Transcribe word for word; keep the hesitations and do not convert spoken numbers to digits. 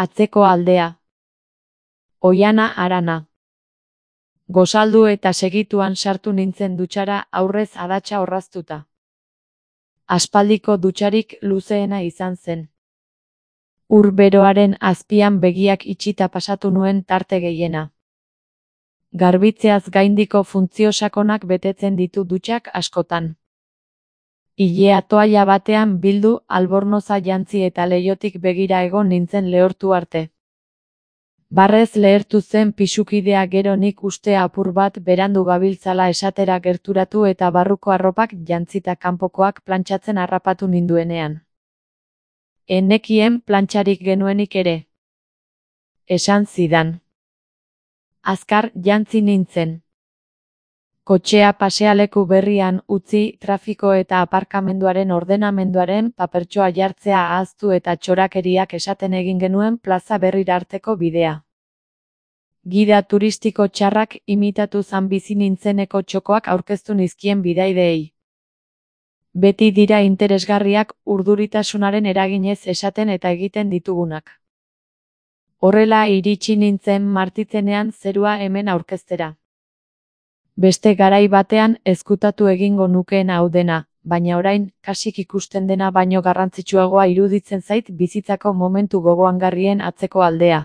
Atzeko aldea. Oihana harana. Gozaldu eta segituan sartu nintzen dutxara aurrez adatsa orraztuta. Aspaldiko dutxarik luzeena izan zen. Ur beroaren azpian begiak itxita pasatu nuen tarte gehiena. Garbitzeaz gaindiko funtzio sakonak betetzen ditu dutxak askotan. Ilea toalla batean bildu albornoza jantzi eta leihotik begira egon nintzen lehortu arte. Barrez lehertu zen pisukidea gero nik uste apur bat berandu gabiltzala esatera gerturatu eta barruko arropak jantzita kanpokoak plantxatzen harrapatu ninduenean. Enekien plantxarik genuenik ere. Esan zidan. Azkar jantzi nintzen. Kotxea pasealeku berrian utzi trafiko eta aparkamenduaren ordenamenduaren papertxoa jartzea ahaztu eta txorakeriak esaten egin genuen plaza berrira arteko bidea. Gida turistiko txarrak imitatu zan bizi nintzeneko txokoak aurkeztu nizkien bidaideei. Beti dira interesgarriak urduritasunaren eraginez esaten eta egiten ditugunak. Horrela iritsi nintzen martitzenean zerua hemen aurkeztera. Beste garai batean ezkutatu egingo nukeen hau dena, baina orain, kasik ikusten dena baino garrantzitsuagoa iruditzen zait bizitzako momentu gogoangarrien atzeko aldea.